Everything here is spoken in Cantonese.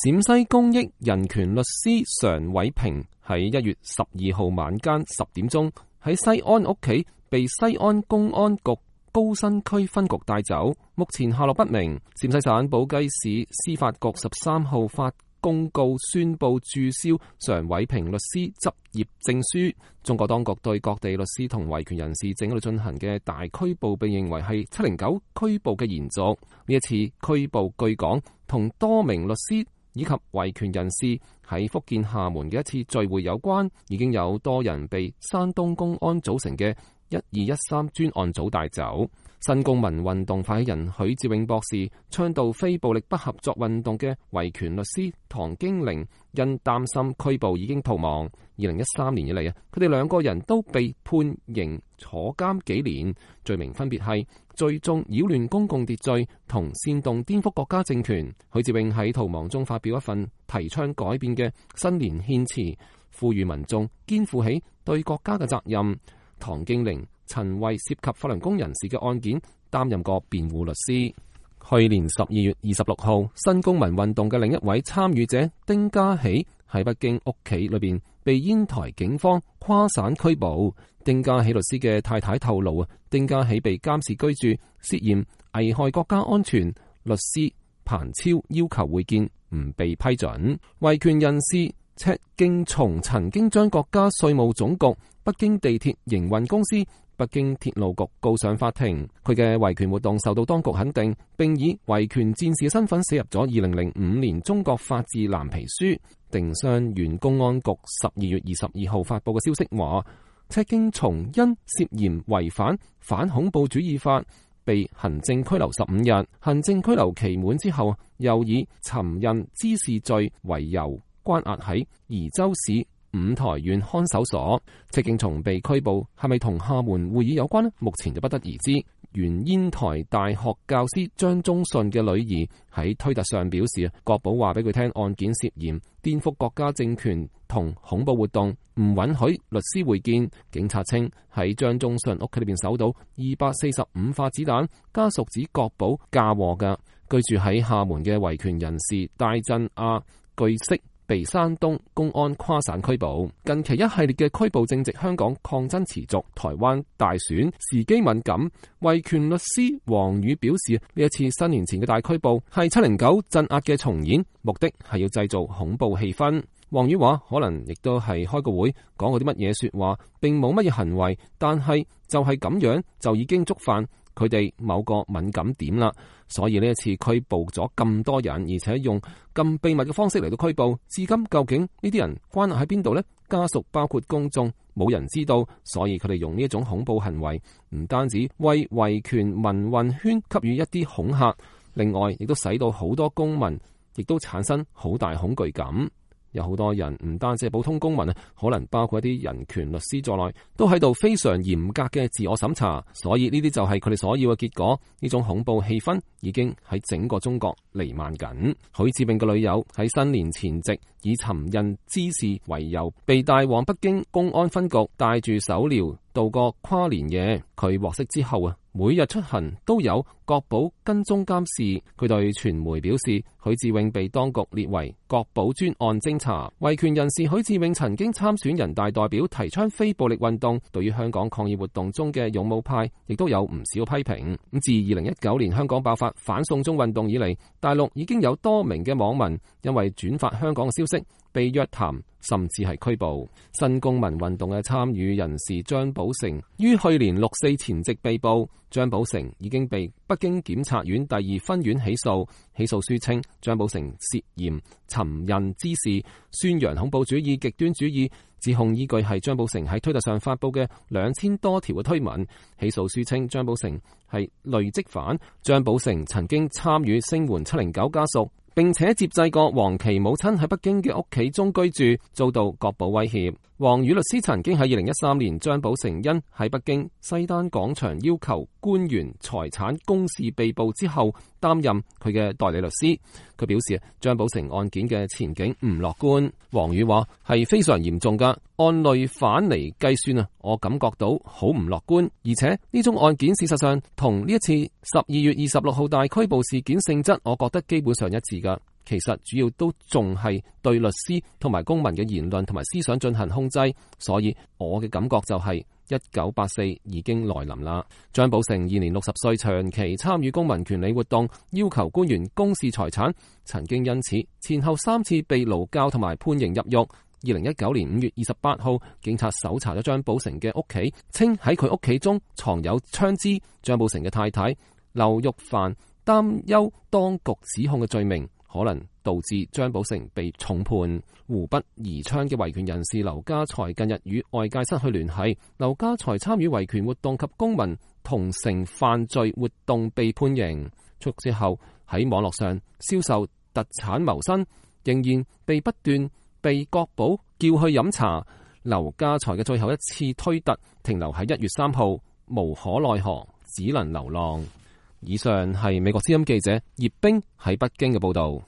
陝西公益人權律師常偉平喺1月12號晚間10點鐘喺西安屋企被西安公安局高新區分局帶走，目前下落不明。陝西省寶雞市司法局13號發公告宣布註銷常偉平律師執業證書。中國當局對各地律師同維權人士正喺度進行嘅大拘捕，被認為係709拘捕嘅延續。呢一次拘捕據講同多名律師以及維權人士喺福建廈門嘅一次聚會有關，已經有多人被山東公安組成嘅1213專案組帶走。新公民運動發起人許志永博士倡導非暴力不合作運動嘅維權律師唐經玲因擔心拘捕已經逃亡。2013年以嚟佢哋兩個人都被判刑坐監幾年，罪名分別係聚眾擾亂公共秩序同煽動顛覆國家政權。許志永喺逃亡中發表一份提倡改變嘅新年獻詞，呼籲民眾肩負起對國家嘅責任。唐經玲曾為涉及法輪功人士嘅案件擔任過辯護律師。去年12月26號，新公民運動嘅另一位參與者丁家喜喺北京屋企裏邊被煙台警方跨省拘捕。丁家喜律師嘅太太透露，丁家喜被監視居住，涉嫌危害國家安全。律師彭超要求會見，唔被批准。維權人士赤敬松曾經將國家稅務總局、北京地鐵營運公司、北京鐵路局告上法庭。佢嘅維權活動受到當局肯定，並以維權戰士嘅身份寫入咗2005年中國法治藍皮書。定襄縣公安局12月22號發布嘅消息話，赤敬松因涉嫌違反反恐怖主義法被行政拘留15日，行政拘留期滿之後，又以尋釁滋事罪為由關押喺宜州市五台縣看守所。赤敬松被拘捕係咪同廈門會議有關呢？目前就不得而知。原煙台大學教師張忠信嘅女兒喺推特上表示，國保話俾佢聽，案件涉嫌顛覆國家政權同恐怖活動，唔允許律師會見。警察稱喺張忠信屋企裏邊搜到245發子彈，家屬指國保嫁禍㗎。居住喺廈門嘅維權人士戴振亞據悉被山東公安跨省拘捕。近期一系列嘅拘捕正值香港抗爭持續，台灣大選時機敏感。維權律師黃宇表示，呢一次新年前嘅大拘捕係709鎮壓嘅重演，目的係要製造恐怖氣氛。黃宇話可能亦都係開個會講過啲乜嘢說話，並冇乜嘢行為，但係就係咁樣就已經觸犯佢哋某個敏感點啦，所以呢一次拘捕咗咁多人，而且用咁秘密嘅方式嚟到拘捕，至今究竟呢啲人關押喺邊度呢？家屬包括公眾冇人知道，所以佢哋用呢一種恐怖行為，唔單止為維權民運圈給予一啲恐嚇，另外亦都使到好多公民亦都產生好大恐懼感。有好多人唔單止係普通公民啊，可能包括一啲人權律師在內，都喺度非常嚴格嘅自我審查，所以呢啲就係佢哋所要嘅結果。呢種恐怖氣氛已經喺整個中國彌漫緊。許志永嘅女友喺新年前夕以尋釁滋事為由，被帶往北京公安分局，帶住手鐐度過跨年夜。佢獲釋之後啊，每日出行都有國保跟蹤監視。佢對傳媒表示，許志永被當局列為國保專案偵查。維權人士許志永曾經參選人大代表，提倡非暴力運動，對於香港抗議活動中嘅勇武派亦都有唔少批評。自2019年香港爆發反送中運動以嚟，大陸已經有多名嘅網民因為轉發香港嘅消息被約談，甚至係拘捕。新公民運動嘅參與人士張寶成於去年6·4前夕被捕。張寶成已經被北京檢察院第2分院起訴。起訴書稱張寶成涉嫌尋釁滋事、宣揚恐怖主義、極端主義。指控依據係張寶成喺推特上發布嘅2000多條嘅推文。起訴書稱張寶成係累積犯。張寶成曾經參與聲援709家屬，並且接濟過黃琦母親喺北京嘅屋企中居住，遭到國保威脅。黃宇律師曾經喺2013年張寶成因喺北京西單廣場要求官員財產公示被捕之後，擔任佢嘅代理律師。佢表示張寶成案件嘅前景唔樂觀。黃宇話係非常嚴重噶，按累犯嚟計算啊，我感覺到好唔樂觀。而且呢宗案件事實上同呢一次12月26號大拘捕事件性質，我覺得基本上一致噶。其實主要都仲係對律師同埋公民嘅言論同埋思想進行控制，所以我嘅感覺就係1984已經來臨啦。張寶成現年60歲，長期參與公民權利活動，要求官員公示財產，曾經因此前後3次被勞教同埋判刑入獄。2019年5月28號，警察搜查咗張寶成嘅屋企，稱喺佢屋企中藏有槍支。張寶成嘅太太劉玉凡擔憂當局指控嘅罪名可能導致張寶成被重判。湖北宜昌嘅維權人士劉家財近日與外界失去聯繫。劉家財參與維權活動及公民同城犯罪活動被判刑，出獄之後喺網絡上銷售特產謀生，仍然被不斷被國保叫去飲茶。劉家財嘅最後一次推特停留喺1月3號，無可奈何，只能流浪。以上係美國之音記者葉冰喺北京嘅報道。